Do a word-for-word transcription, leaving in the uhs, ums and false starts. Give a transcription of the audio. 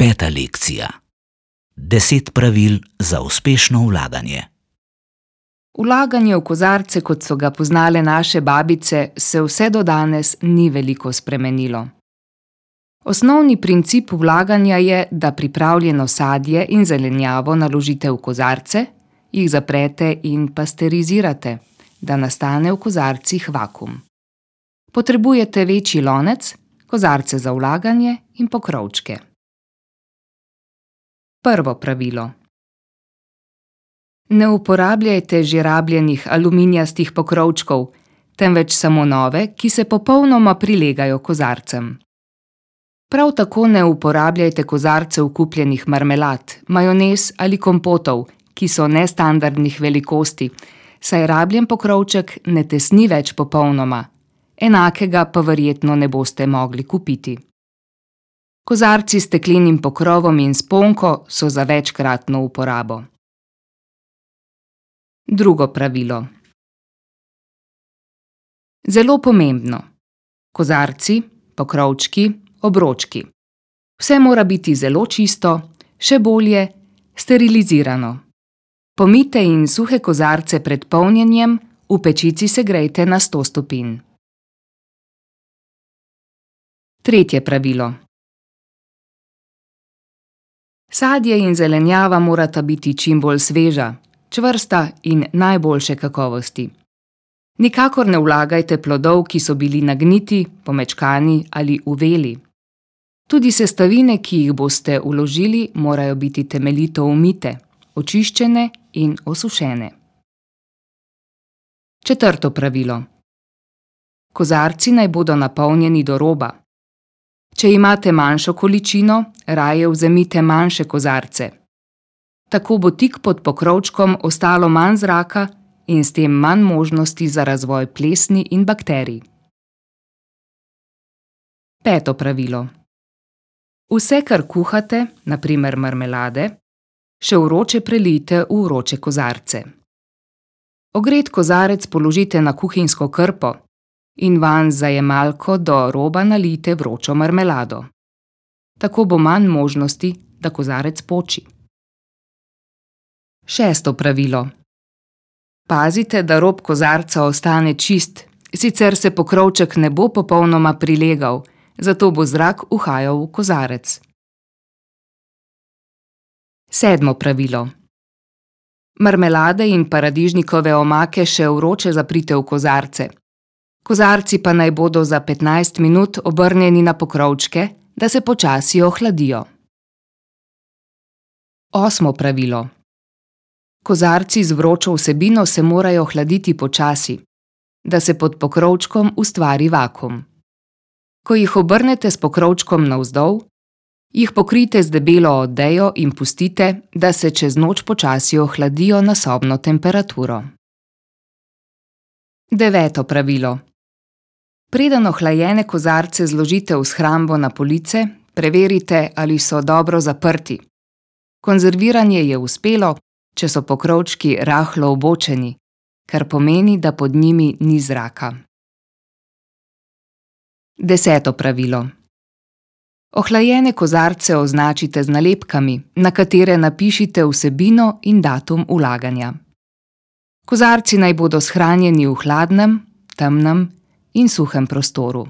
Peta lekcija. Deset pravil za uspešno vlaganje. Vlaganje v kozarce, kot so ga poznale naše babice, se vse do danes ni veliko spremenilo. Osnovni princip vlaganja je, da pripravljeno sadje in zelenjavo naložite v kozarce, jih zaprete in pasterizirate, da nastane v kozarcih vakuum. Potrebujete večji lonec, kozarce za vlaganje in pokrovčke. Prvo pravilo. Ne uporabljajte že rabljenih aluminijastih pokrovčkov, temveč samo nove, ki se popolnoma prilegajo kozarcem. Prav tako ne uporabljajte kozarcev kupljenih marmelad, majonez ali kompotov, ki so nestandardnih velikosti, saj rabljen pokrovček ne tesni več popolnoma, enakega pa verjetno ne boste mogli kupiti. Kozarci s steklenim pokrovom in sponko so za večkratno uporabo. Drugo pravilo. Zelo pomembno. Kozarci, pokrovčki, obročki. Vse mora biti zelo čisto, še bolje sterilizirano. Pomijte in suhe kozarce pred polnjenjem, v pečici segrejte na sto stopinj. Tretje pravilo. Sadje in zelenjava morata biti čim bolj sveža, čvrsta in najboljše kakovosti. Nikakor ne vlagajte plodov, ki so bili nagniti, pomečkani ali uveli. Tudi sestavine, ki jih boste vložili, morajo biti temeljito umite, očiščene in osušene. Četrto pravilo. Kozarci naj bodo napolnjeni do roba. Če imate manjšo količino, raje vzemite manjše kozarce. Tako bo tik pod pokrovčkom ostalo manj zraka in s tem manj možnosti za razvoj plesni in bakterij. Peto pravilo. Vse, kar kuhate, na primer marmelade, še vroče prelijte v vroče kozarce. Ogret kozarec položite na kuhinjsko krpo in vanj z zajemalko do roba nalijte vročo marmelado. Tako bo manj možnosti, da kozarec poči. Šesto pravilo. Pazite, da rob kozarca ostane čist, sicer se pokrovček ne bo popolnoma prilegal, zato bo zrak uhajal v kozarec. Sedmo pravilo. Marmelade in paradižnikove omake še vroče zaprite v kozarce. Kozarci pa naj bodo za petnajst minut obrnjeni na pokrovčke, da se počasi ohladijo. Osmo pravilo. Kozarci z vročo vsebino se morajo hladiti počasi, da se pod pokrovčkom ustvari vakuum. Ko jih obrnete s pokrovčkom navzdol, jih pokrijte z debelo odejo in pustite, da se čez noč počasi ohladijo na sobno temperaturo. Deveto pravilo. Preden ohlajene kozarce zložite v shrambo na police, preverite, ali so dobro zaprti. Konzerviranje je uspelo, če so pokrovčki rahlo obočeni, kar pomeni, da pod njimi ni zraka. Deseto pravilo. Ohlajene kozarce označite z nalepkami, na katere napišite vsebino in datum vlaganja. Kozarci naj bodo shranjeni v hladnem, temnem in suhem prostoru.